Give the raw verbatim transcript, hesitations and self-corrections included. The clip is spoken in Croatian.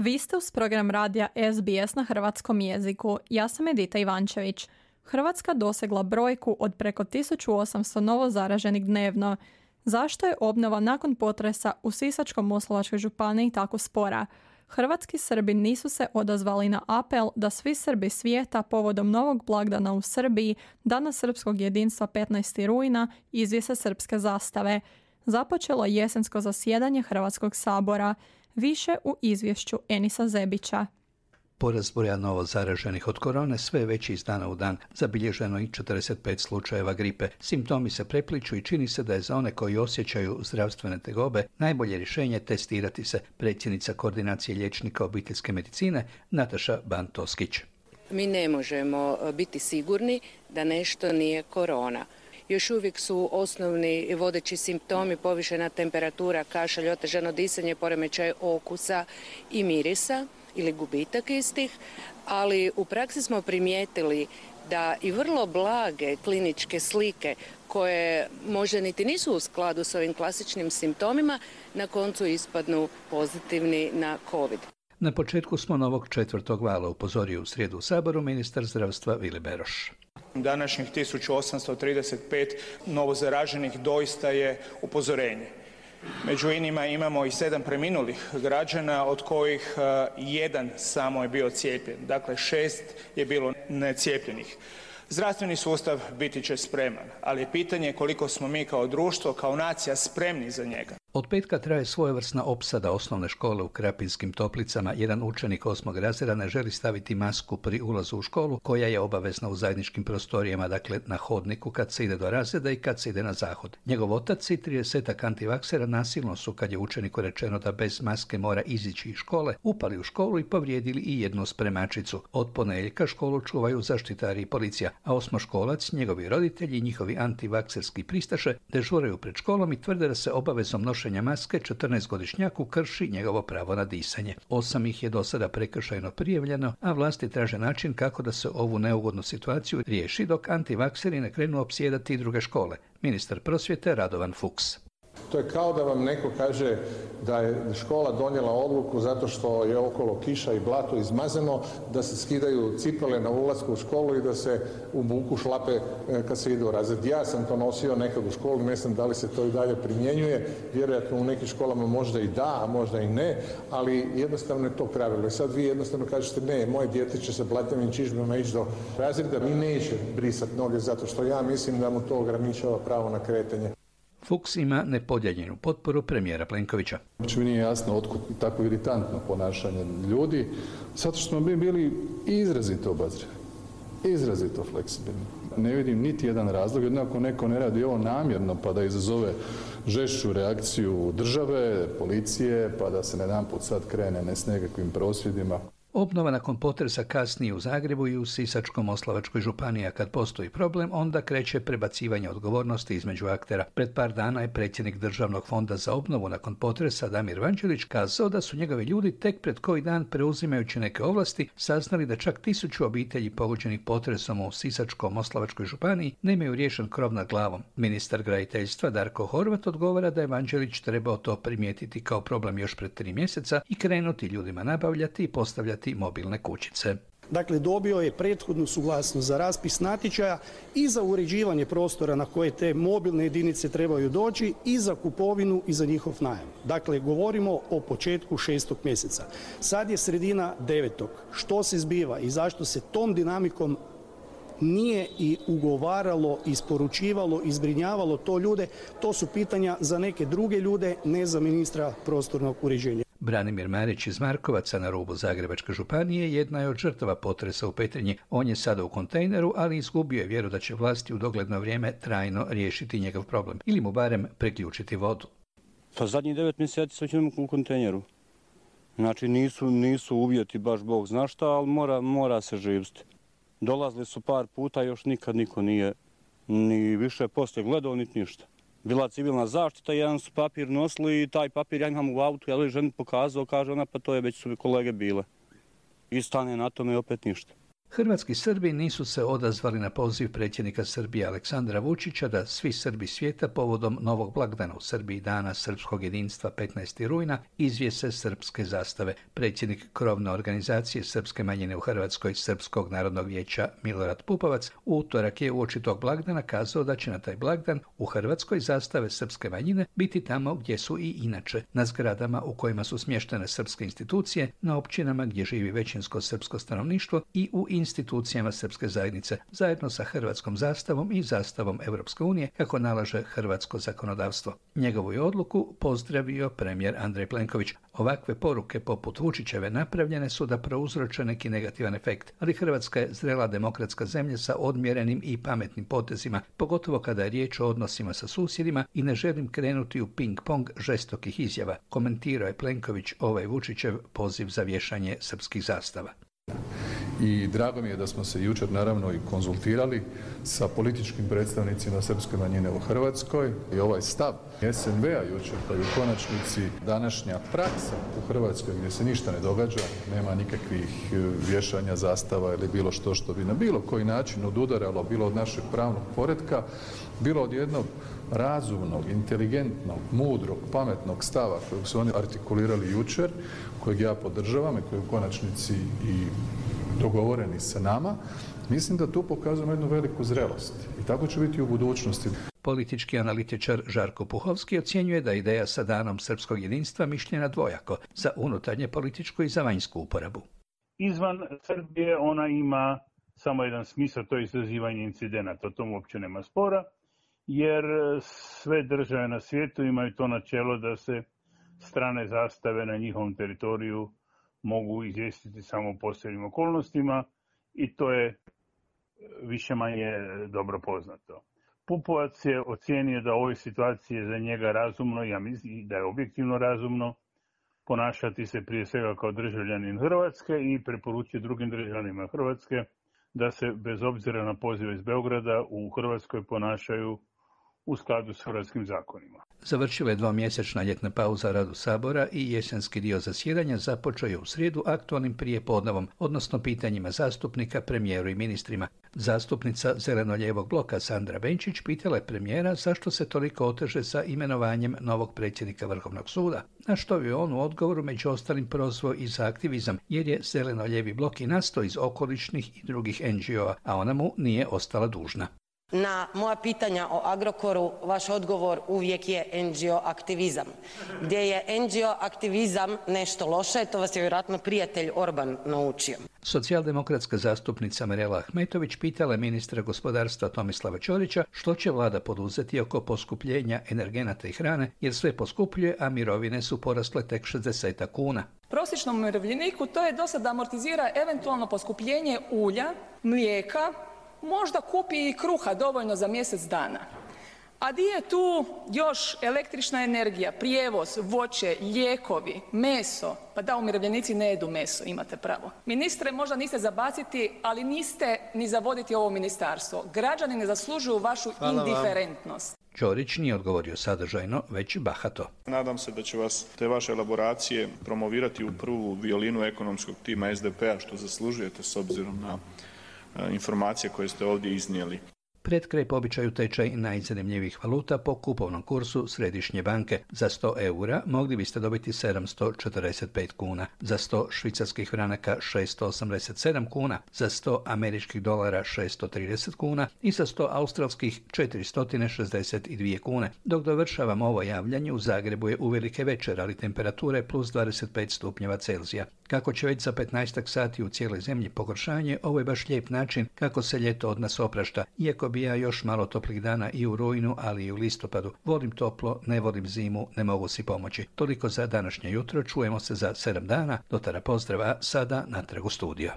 Vi ste uz program radija S B S na hrvatskom jeziku. Ja sam Edita Ivančević. Hrvatska dosegla brojku od preko tisuću osamsto novo zaraženih dnevno. Zašto je obnova nakon potresa u Sisačko-moslavačkoj županiji tako spora? Hrvatski Srbi nisu se odazvali na apel da svi Srbi svijeta povodom novog blagdana u Srbiji, Dana srpskog jedinstva petnaestog rujna, izvjese srpske zastave. Započelo je jesensko zasjedanje Hrvatskog sabora. Više u izvješću Enisa Zebića. Porast broja novo zaraženih od korone sve je veći iz dana u dan. Zabilježeno i četrdeset pet slučajeva gripe. Simptomi se prepliču i čini se da je za one koji osjećaju zdravstvene tegobe najbolje rješenje testirati se. Predsjednica koordinacije liječnika obiteljske medicine Nataša Ban-Toskić. Mi ne možemo biti sigurni da nešto nije korona. Još uvijek su osnovni vodeći simptomi povišena temperatura, kašalj, otežano disanje, poremećaj okusa i mirisa ili gubitak istih, ali u praksi smo primijetili da i vrlo blage kliničke slike koje možda niti nisu u skladu s ovim klasičnim simptomima na koncu ispadnu pozitivni na COVID. Na početku smo novog četvrtog vala, upozorio u srijedu u Saboru ministar zdravstva Vili Beroš. Današnjih tisuću osamsto trideset pet novozaraženih doista je upozorenje. Među inima imamo i sedam preminulih građana, od kojih jedan samo je bio cijepljen. Dakle, šest je bilo necijepljenih. Zdravstveni sustav biti će spreman, ali je pitanje koliko smo mi kao društvo, kao nacija spremni za njega. Od petka traje svojevrsna opsada osnovne škole u Krapinskim Toplicama. Jedan učenik osmog razreda ne želi staviti masku pri ulazu u školu, koja je obavezna u zajedničkim prostorijama, dakle na hodniku kad se ide do razreda i kad se ide na zahod. Njegov otac i tridesetak antivaksera nasilno su, kad je učeniku rečeno da bez maske mora izići iz škole, upali u školu i povrijedili i jednu spremačicu. Od ponedjeljka školu čuvaju zaštitari i policija, a osmoškolac, njegovi roditelji i njihovi antivakserski pristaše dežuraju pred školom i tvrde da se obavezom nošenja maske četrnaestogodišnjaku krši njegovo pravo na disanje. Osam ih je do sada prekršajno prijavljeno, a vlasti traže način kako da se ovu neugodnu situaciju riješi, dok antivakseri ne krenu opsjedati druge škole. Ministar prosvjete Radovan Fuchs. To je kao da vam neko kaže da je škola donijela odluku zato što je okolo kiša i blato izmazano, da se skidaju cipele na ulasku u školu i da se u buku šlape kad se ide u razred. Ja sam to nosio nekad u školu, ne znam da li se to i dalje primjenjuje, vjerojatno u nekim školama možda i da, a možda i ne, ali jednostavno je to pravilo. I sad vi jednostavno kažete ne, moje dijete će se blatnjavim čizmama ići do razreda, mi neće brisati noge zato što ja mislim da mu to ograničava pravo na kretanje. Fuchs ima nepodijeljenu potporu premijera Plenkovića. Znači mi nije jasno otkud tako iritantno ponašanje ljudi, zato što smo mi bili izrazito obazrivi, izrazito fleksibilni. Ne vidim niti jedan razlog, jednako neko ne radi ovo namjerno pa da izazove žešću reakciju države, policije, pa da se jedanput sad krene ne s nekakvim prosvjedima. Obnova nakon potresa kasnije u Zagrebu i u Sisačko-moslavačkoj županiji, a kad postoji problem, onda kreće prebacivanje odgovornosti između aktera. Pred par dana je predsjednik Državnog fonda za obnovu nakon potresa Damir Vanđelić kazao da su njegovi ljudi tek pred koji dan, preuzimajući neke ovlasti, saznali da čak tisuću obitelji pogođenih potresom u Sisačko-moslavačkoj županiji nemaju riješen krov nad glavom. Ministar graditeljstva Darko Horvat odgovara da je Vanđelić trebao to primijetiti kao problem još pred tri mjeseca i krenuti ljudima nabavljati i postavljati mobilne kućice. Dakle, dobio je prethodnu suglasnost za raspis natječaja i za uređivanje prostora na koje te mobilne jedinice trebaju doći i za kupovinu i za njihov najam. Dakle, govorimo o početku šestog mjeseca. Sad je sredina devetog. Što se zbiva i zašto se tom dinamikom nije i ugovaralo, isporučivalo, izbrinjavalo to ljude, to su pitanja za neke druge ljude, ne za ministra prostornog uređenja. Branimir Marić iz Markovaca na rubu Zagrebačke županije jedna je od žrtava potresa u Petrinji. On je sada u kontejneru, ali izgubio je vjeru da će vlasti u dogledno vrijeme trajno riješiti njegov problem ili mu barem priključiti vodu. Pa zadnjih devet mjeseci sam ćemo u kontejneru. Znači nisu, nisu uvjeti baš Bog zna šta, ali mora, mora se živjeti. Dolazili su par puta, još nikad niko nije ni više poslije gledao, niti ništa. Bila civilna zaštita, jedan su papir nosili i taj papir ja imam u autu, ja li ženi pokazao, kaže ona, pa to je već su kolege bile. I stane na tome i opet ništa. Hrvatski Srbi nisu se odazvali na poziv predsjednika Srbije Aleksandra Vučića da svi Srbi svijeta povodom novog blagdana u Srbiji, Dana srpskog jedinstva petnaestog rujna, izvjese srpske zastave. Predsjednik krovne organizacije srpske manjine u Hrvatskoj, Srpskog narodnog vijeća Milorad Pupovac, u utorak je uoči tog blagdana kazao da će na taj blagdan u Hrvatskoj zastave srpske manjine biti tamo gdje su i inače, na zgradama u kojima su smještene srpske institucije, na općinama gdje živi većinsko srpsko stanovništvo i u institucijama srpske zajednice, zajedno sa hrvatskom zastavom i zastavom Europske unije, kako nalaže hrvatsko zakonodavstvo. Njegovu je odluku pozdravio premijer Andrej Plenković. Ovakve poruke poput Vučićeve napravljene su da prouzroče neki negativan efekt, ali Hrvatska je zrela demokratska zemlja sa odmjerenim i pametnim potezima, pogotovo kada je riječ o odnosima sa susjedima, i ne želim krenuti u ping-pong žestokih izjava, komentirao je Plenković ovaj Vučićev poziv za vješanje srpskih zastava. I drago mi je da smo se jučer naravno i konzultirali sa političkim predstavnicima srpske manjine u Hrvatskoj i ovaj stav S N V-a jučer, pa i u konačnici današnja praksa u Hrvatskoj gdje se ništa ne događa, nema nikakvih vješanja zastava ili bilo što što bi na bilo koji način odudaralo bilo od našeg pravnog poretka, bilo od jednog razumnog, inteligentnog, mudrog, pametnog stava kojeg su oni artikulirali jučer, kojeg ja podržavam i koji u konačnici i dogovoreni sa nama, mislim da tu pokazujemo jednu veliku zrelost i tako će biti u budućnosti. Politički analitičar Žarko Puhovski ocjenjuje da ideja sa Danom srpskog jedinstva mišljena dvojako, za unutarnje političku i za vanjsku uporabu. Izvan Srbije ona ima samo jedan smisao, to je izazivanje incidenata, o tom uopće nema spora, jer sve države na svijetu imaju to načelo da se strane zastave na njihovom teritoriju mogu izvijestiti samo u posebnim okolnostima i to je više manje dobro poznato. Pupovac je ocijenio da u ovoj situaciji je za njega razumno, ja mislim da je objektivno razumno, ponašati se prije svega kao državljanin Hrvatske i preporučuje drugim državljanima Hrvatske da se bez obzira na pozive iz Beograda u Hrvatskoj ponašaju u skladu s hrvatskim zakonima. Završila je dvomjesečna ljetna pauza radu Sabora i jesenski dio zasjedanja započeo je u srijedu aktualnim prijepodnevom, odnosno pitanjima zastupnika, premijeru i ministrima. Zastupnica zeleno-lijevog bloka Sandra Benčić pitala je premijera zašto se toliko oteže sa imenovanjem novog predsjednika Vrhovnog suda, na što je on u odgovoru među ostalim prozvao i za aktivizam, jer je zeleno-lijevi blok i nastao iz okolišnih i drugih N G O-a, a ona mu nije ostala dužna. Na moja pitanja o Agrokoru vaš odgovor uvijek je N G O aktivizam. Gdje je N G O aktivizam nešto loše, to vas je vjerojatno prijatelj Orban naučio. Socijaldemokratska zastupnica Mirela Ahmetović pitala ministra gospodarstva Tomislava Ćorića što će vlada poduzeti oko poskupljenja energenata i hrane, jer sve poskupljuje, a mirovine su porasle tek šezdeset kuna. Prosječnom umirovljeniku to je do sada amortizira eventualno poskupljenje ulja, mlijeka, možda kupi i kruha dovoljno za mjesec dana. A di je tu još električna energija, prijevoz, voće, lijekovi, meso? Pa da, umirovljenici ne jedu meso, imate pravo. Ministre, možda niste za baciti, ali niste ni za voditi ovo ministarstvo. Građani ne zaslužuju vašu Hvala indiferentnost. Vam. Ćorić nije odgovorio sadržajno, već bahato. Nadam se da će vas te vaše elaboracije promovirati u prvu violinu ekonomskog tima S D P-a, što zaslužujete s obzirom na informacije koje ste ovdje iznijeli. Pred kraj po običaju tečaj najzanimljivijih valuta po kupovnom kursu Središnje banke. Za sto eura mogli biste dobiti sedamsto četrdeset pet kuna, za sto švicarskih franaka šesto osamdeset sedam kuna, za sto američkih dolara šesto trideset kuna i za sto australskih četiristo šezdeset dvije kune. Dok dovršavamo ovo javljanje, u Zagrebu je uvelike večer, ali temperatura je plus dvadeset pet stupnjeva Celzija. Kako će već za petnaestak sati u cijeloj zemlji pogoršanje, ovo je baš lijep način kako se ljeto od nas oprašta, iako bi ja još malo toplih dana i u rujnu, ali i u listopadu. Volim toplo, ne volim zimu, ne mogu si pomoći. Toliko za današnje jutro, čujemo se za sedam dana. Do tada pozdrava, sada natrag u studio.